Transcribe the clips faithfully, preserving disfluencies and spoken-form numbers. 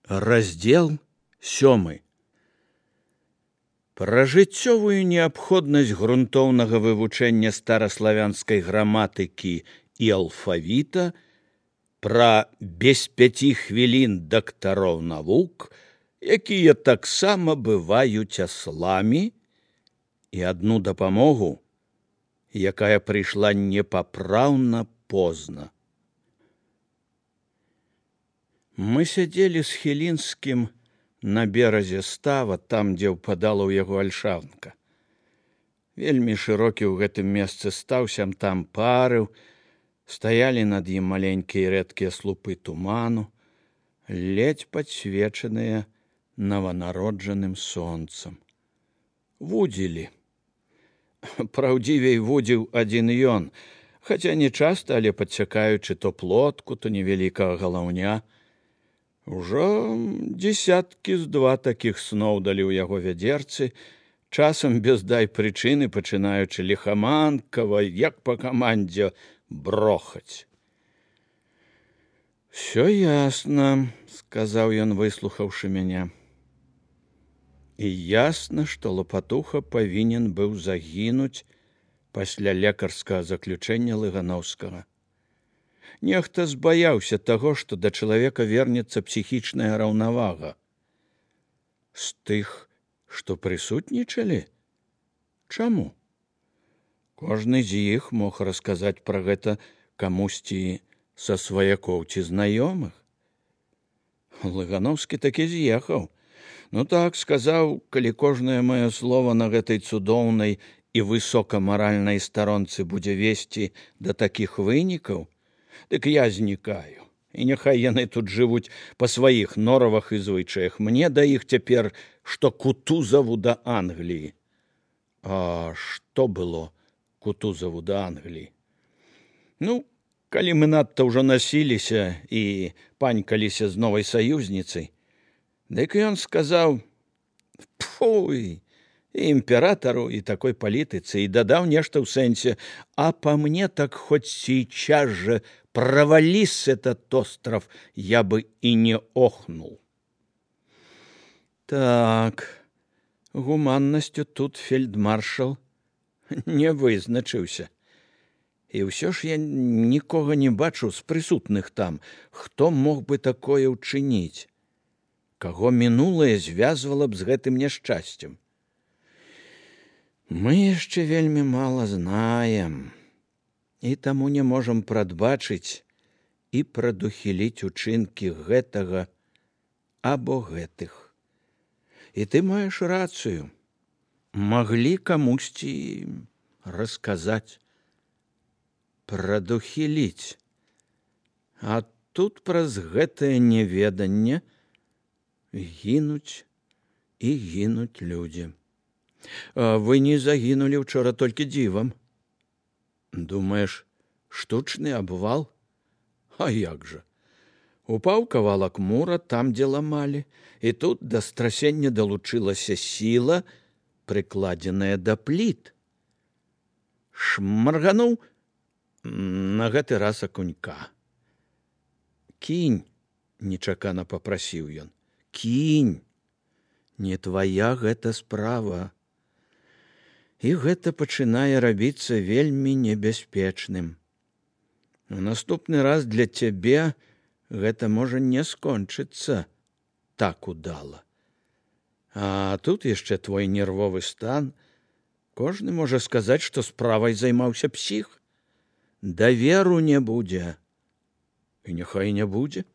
Раздел сёмы. Пра жыццёвую неабходнасць грунтоўнага вывучэння стараславянскай граматыкі і алфавіта, пра без пяці хвілін дактароў навук, якія таксама бываюць асламі, і адну дапамогу, якая прыйшла непапраўна позна. Мы сядзелі з Хілінскім на беразе става, там, дзе ўпадала ў яго альшавнка. Вельмі шырокі ў гэтым месцы стаў, сям там парыў, стаялі над ім маленькія рэдкія слупы туману, ледзь падсвечаныя нованароджаным сонцам. Вудзілі. Праўдзівей вудзіў адзін ён, хаця не часта, але падсякаючы то плотку, то невялікага галаўня. Ужо дзесяткі з два такіх сноў далі ў яго вядзерцы, часам без дай прычыны, пачынаючы ліхаманкава, як па камандзе, брохаць. «Всё ясна», — сказаў ён, выслухаўшы мяне. І ясна, што Лапатуха павінен быў загінуць пасля лекарскага заключэння Лыгановскага. Нехта збаяўся таго, што да чалавека вернецца псіхічная раўнавага. З тых, што прысутнічалі? Чаму? Кожны з іх мог расказаць пра гэта камусьці са сваякоў ці знаёмых. Лыгановскі такі з'ехаў. Ну так, сказаў, калі кожнае маё слова на гэтай цудоўнай і высокамаральнай старонцы будзе весці да такіх вынікаў, дык я знікаю, і няхай яны тут жывуць па сваіх норавах і звычаях. Мне да іх цяпер, што Кутузаву да Англіі. А што было Кутузаву да Англіі? Ну, калі мы надта ўжо насіліся і панькаліся з новай саюзніцай, дык ён сказаў: «Пфуй, і імператару, і такой палітыцы», і дадаў нешта ў сэнсе: «А па мне так хоть сейчас же провались этот остров, я бы и не охнул». Так, гуманнасцю тут фельдмаршал не вызначыўся. І ўсё ж я нікога не бачу з прысутных там, хто мог бы такое ўчыніць, каго мінулае звязвала б з гэтым няшчасцем. Мы яшчэ вельмі мала знаем, і таму не можам прадбачыць і прадухіліць учынкі гэтага або гэтых. І ты маеш рацыю. Маглі камусьці расказаць, прадухіліць. А тут праз гэтае неведанне гінуць і гінуць людзі. А вы не загінулі ўчора толькі дзівам. Думаеш, штучны абвал? А як жа? Упаў кавалак мура там, дзе ламалі, і тут да страсення далучылася сіла, прыкладзеная да пліт. Шмаргануў на гэты раз акунька. «Кінь», — нечакана папрасіў ён, «кінь, не твая гэта справа». І гэта пачынае рабіцца вельмі небяспечным. У наступны раз для цябе гэта можа не скончыцца так удала. А тут яшчэ твой нервовы стан. Кожны можа сказаць, што справай займаўся псіх. Даверу не будзе. І няхай не будзе.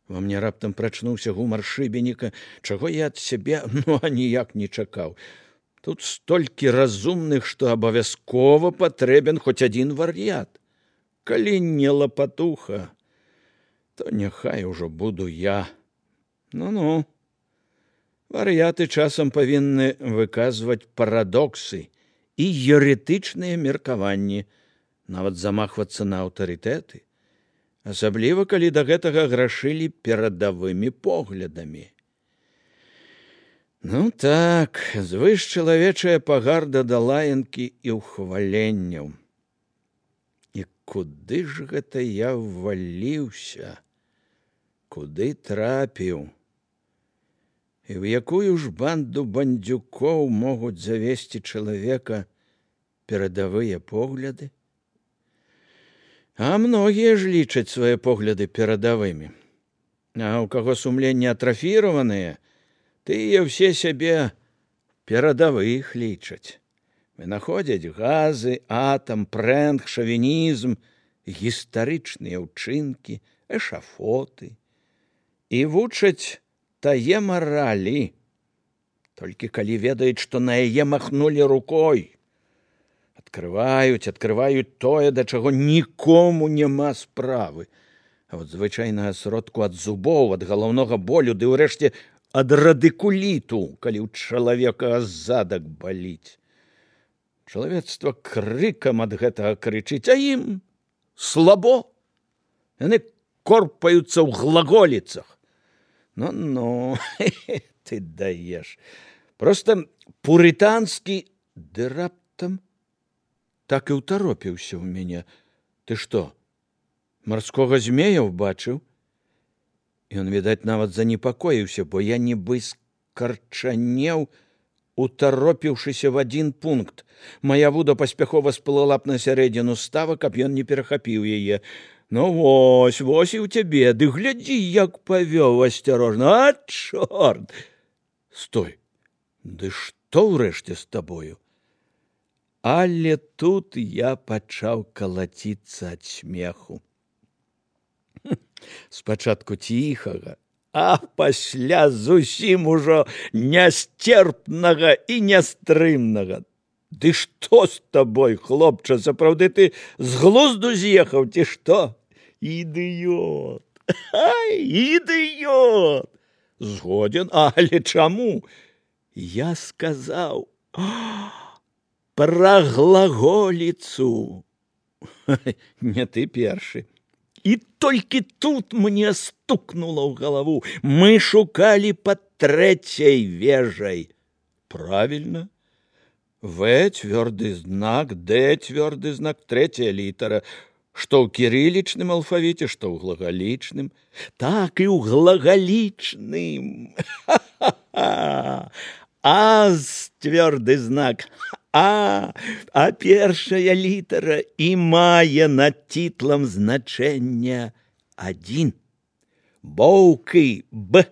Во мне раптам прачнуўся гумар шыбеніка, чаго я ад сябе ну аніяк не чакаў. Тут столькі разумных, што абавязкова патрэбен хоць адзін вар'ят. Калі не Лапатуха, то няхай ужо буду я. Ну-ну. Вар'яты часам павінны выказваць парадоксы і еретычныя меркаванні, нават замахвацца на аўтарытэты, асабліва калі да гэтага грашылі перадавымі поглядамі. Ну так, звышчалавечая пагарда да лаянкі і ўхваленняў. І куды ж гэта я вваліўся? Куды трапіў? І ў якую ж банду бандзюкоў могуць завесці чалавека перадавыя погляды? А многія ж лічаць свае погляды перадавымі. А ў каго сумленне атрафіраваныя, тыя ўсе сябе перадавых лічаць. Вынаходзяць газы, атам, прэнг, шавінізм, гістарычныя ўчынкі, эшафоты і вучаць тае маралі, толькі калі ведаюць, што на яе махнулі рукой. Адкрываюць, адкрываюць тое, да чаго нікому няма справы. А от звычайнага сродку ад зубоў, ад галаўнога болю, ды ўрэшце ад радыкуліту, калі ў чалавека задак баліць. Чалавецтва крыкам ад гэтага крычыць, а ім слабо. Яны корпаюцца ў глаголіцах. Ну-ну, ты даеш. Проста пурытанскі, ды раптам так і ўтаропіўся ў мяне. Ты што, марскога змея ўбачыў? Ён, відаць, нават занепакоіўся, бо я нібы скарчанеў, утаропіўшыся в адзін пункт. Мая вуда паспяхова сплыла б на сярэдзіну става, каб ён не перахапіў яе. Ну вось, вось і ў цябе, ды глядзі, як павёў асцярожна. А, чорт! Стой, ды што ўрэшце з табою? Але тут я пачаў калаціцца ад смеху. Спачатку ціхага, а пасля зусім ужо нясцерпнага і нястрымнага. Ды што з табой, хлопча, сапраўды ты з глузду з'ехаў, ці што? Ідыёт! Ай, ідыёт! Згоден, але чаму? Я сказаў пра глаголіцу. Не ты першы. І толькі тут мне стукнула ў галаву. Мы шукалі пад трэцяй вежай. Правильно. В цвёрды знак, Д цвёрды знак, трэцяя літара. Што ў кірылічным алфавіце, што ў глагалічным. Так і ў глагалічным. Ха-ха-ха. А цвёрды знак. А, а першая літара і мае над титлам значэнне адзін. Боўкі Б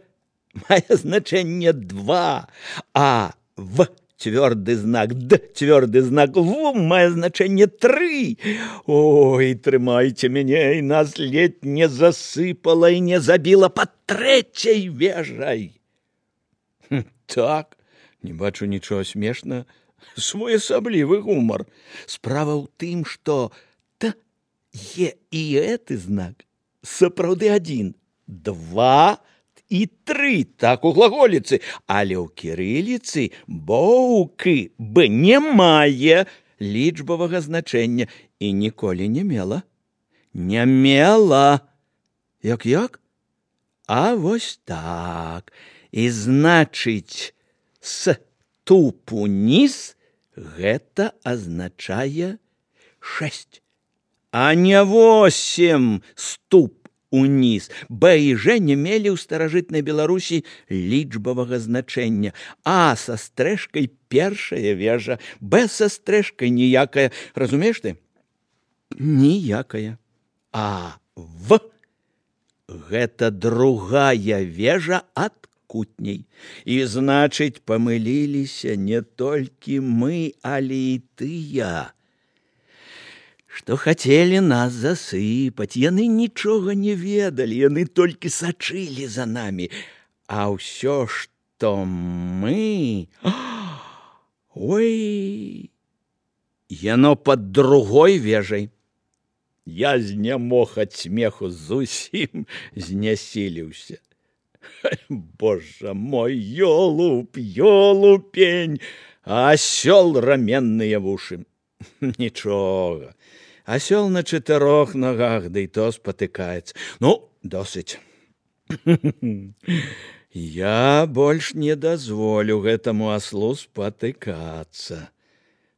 мае значэнне два, а В цвёрды знак, Д цвёрды знак, В мае значэнне тры. Ой, трымайце мяне, і нас ледь не засыпала і не забіла пад трэцяй вежай. Хм, так, не бачу нічога смешнага. Своеасаблівы гумар. Справа ў тым, што Т, Е і гэты знак сапраўды адзін, два і тры, так у глаголіцы, але ў кірыліцы боўкі Б не мае лічбавага значэння і ніколі не мела. Не мела. Як-як? А вось так. І значыць, с туп уніз гэта азначае шэсць, а не восем ступ уніз. Б і Ж не мелі ў старажытнай Беларусі лічбавага значэння. А са стрэшкай першая вежа, Б са стрэшкай ніякая. Разумееш ты? Ніякая. А В гэта другая вежа ад кутней. І, значыць, памыліліся не толькі мы, але і тыя, што хацелі нас засыпаць. Яны нічога не ведалі, яны толькі сачылі за намі. А ўсё, што мы... Ой, яно пад другой вежай. Я знямог ад смеху, зусім знясіліўся. Боже мой, ёлуп, ёлупень, а асёл раменныя вушы. Нічога, асёл на чатырох ногах, да і то спатыкаецца. Ну, досыць. Я больш не дазволю гэтаму аслу спатыкацца.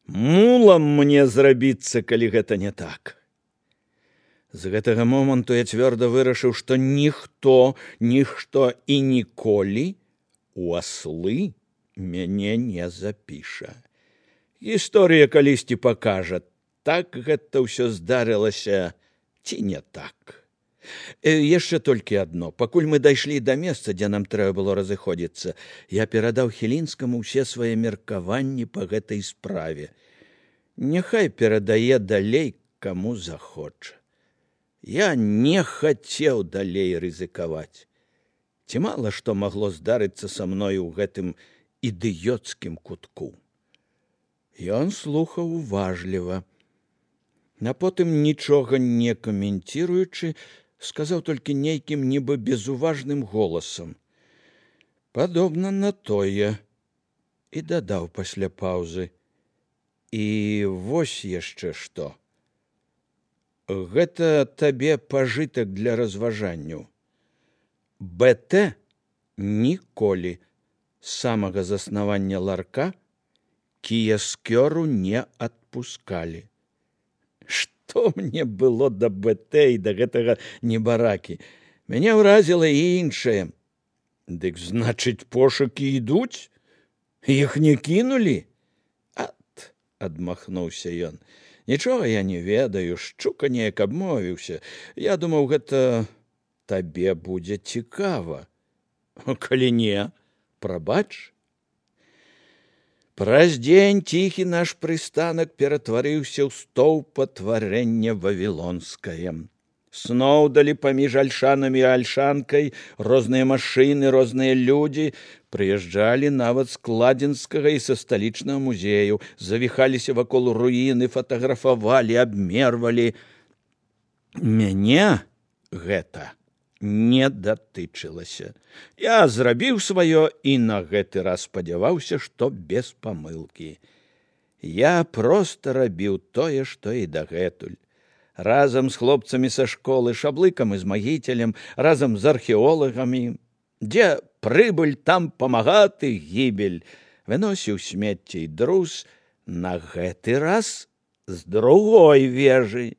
Мулам мне зрабіцца, калі гэта не так. З гэтага моманту я цвёрда вырашыў, што ніхто, нішто і ніколі у аслы мяне не запіша. Гісторыя калісьці пакажа, так гэта ўсё здарылася ці не так. Яшчэ толькі адно. Пакуль мы дайшлі да месца, дзе нам трэба было разыходзіцца, я перадаў Хілінскаму ўсе свае меркаванні па гэтай справе. Няхай перадае далей, каму захоча. Я не хацеў далей рызыкаваць. Ці мала што магло здарыцца са мною ў гэтым ідыёцкім кутку. Ён слухаў уважліва. А потым, нічога не каменціруючы, сказаў толькі нейкім нібы безуважным голасам. Падобна на тое. І дадаў пасля паўзы. І вось яшчэ што. Гэта табе пажытак для разважанняў. БТ ніколі з самага заснавання ларка кіяскёру не адпускалі. Што мне было да БТ і да гэтага небаракі? Мяне ўразіла і іншае. Дык, значыць, пошукі ідуць? Іх не кінулі? Ат, адмахнуўся ён. Нічога я не ведаю, шчука неяк абмовіўся. Я думаў, гэта табе будзе цікава. Калі не, прабач. Праз дзень ціхі наш прыстанак ператварыўся ў стоўпатварэнне вавілонскае. Сноўдалі паміж альшанамі і альшанкай розныя машыны, розныя людзі, прыязджалі нават з Кладзенскага і са сталічнага музею, завіхаліся вакол руіны, фатаграфавалі, абмервалі. Мяне гэта не датычылася. Я зрабіў сваё і на гэты раз спадзяваўся, што без памылкі. Я проста рабіў тое, што і дагэтуль. Разам з хлопцамі са школы, Шаблыкам і з Магіцелем, разам з археолагамі. Дзе прыбыль, там памагаты гібель. Выносіў смецце і друз, на гэты раз з другой вежы.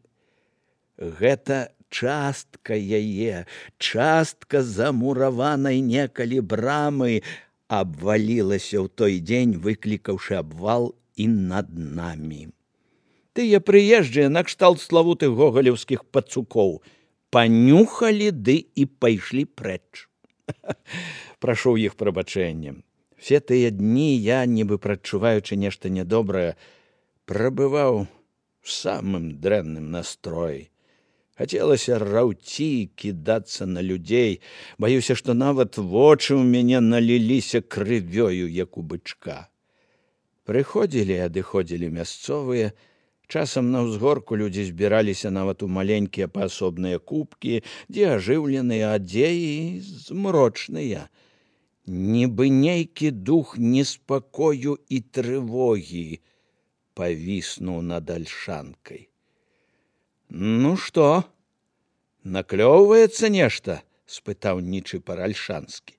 Гэта частка яе, частка замураванай некалі брамы абвалілася ў той дзень, выклікаўшы абвал і над намі. Тыя прыезджыя накшталт славутых гогалеўскіх пацукоў панюхалі ды і пайшлі прэч. Прашу іх прабачэння. Все тыя дні я, нібы прадчуваючы нешта нядобрае, прабываў у самым дрэнным настроі. Хацелася раўці, кідацца на людзей. Баюся, што нават вочы ў мяне наліліся крывёю, як у бычка. Прыходзілі і адыходзілі мясцовыя. Часам на ўзгорку людзі збіраліся нават у маленькія паасобныя кубкі, дзе ажыўленыя, а дзе і змрочныя. Нібы нейкі дух неспакою і трывогі павіснуў над альшанкай. Ну што, наклёўваецца нешта? — спытаў Нічыпар Альшанскі.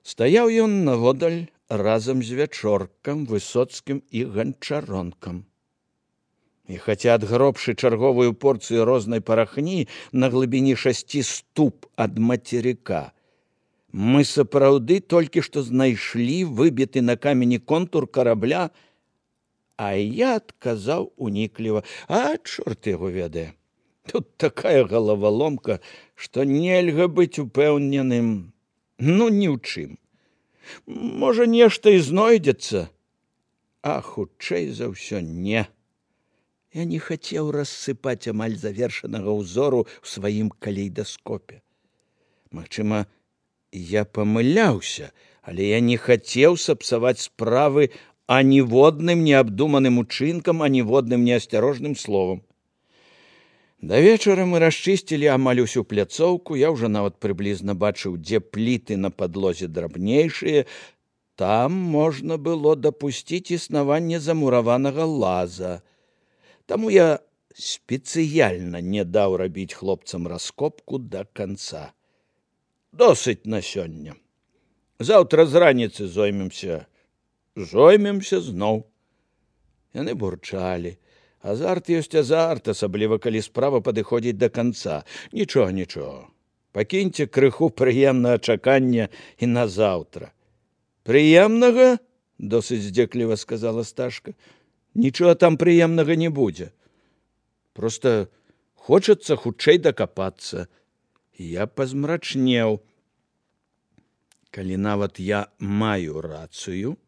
Стаяў ён наводдаль разам з Вячоркам, Высоцкім і Ганчаронкам. І хаця адгробшы чарговую порцыю рознай парахні на глыбіні шасці ступ ад мацерыка, мы сапраўды толькі што знайшлі выбіты на камені контур карабля, а я адказаў унікліва: а чорт яго ведае. Тут такая галаваломка, што нельга быць упэўненым, ну, ні ў чым. Можа, нешта і знойдзецца, а хутчэй за ўсё не. Я не хацеў рассыпаць амаль завершанага ўзору ў сваім калейдаскопе. Магчыма, я памыляўся, але я не хацеў сапсаваць справы аніводным неабдуманым учынкам, аніводным неасцярожным словам. Да вечара мы расчысцілі амаль усю пляцоўку, я ўжо нават прыблізна бачыў, дзе пліты на падлозе драбнейшыя. Там можна было дапусціць існаванне замураванага лаза. Таму я спецыяльна не даў рабіць хлопцам раскопку да канца. Досыць на сёння. Заўтра з раніцы зоймемся. Зоймемся зноў. Яны бурчалі. Азарт ёсць азарт, асабліва калі справа падыходзіць да канца. Нічога, нічога. Пакіньце крыху прыемнага чакання і на заўтра. Прыемнага? Досыць здзекліва сказала Сташка. Нічога там прыемнага не будзе. Проста хочацца хутчэй дакапацца. Я пазмрачнеў. Калі нават я маю рацыю,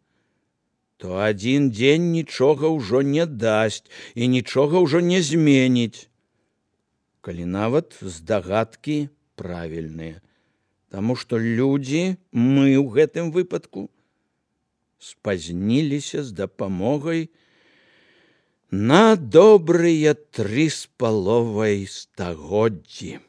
то адзін дзень нічога ўжо не дасць і нічога ўжо не зменіць. Калі нават здагадкі правільныя. Таму што людзі, мы ў гэтым выпадку, спазніліся з дапамогай на добрыя тры з паловай стагоддзі.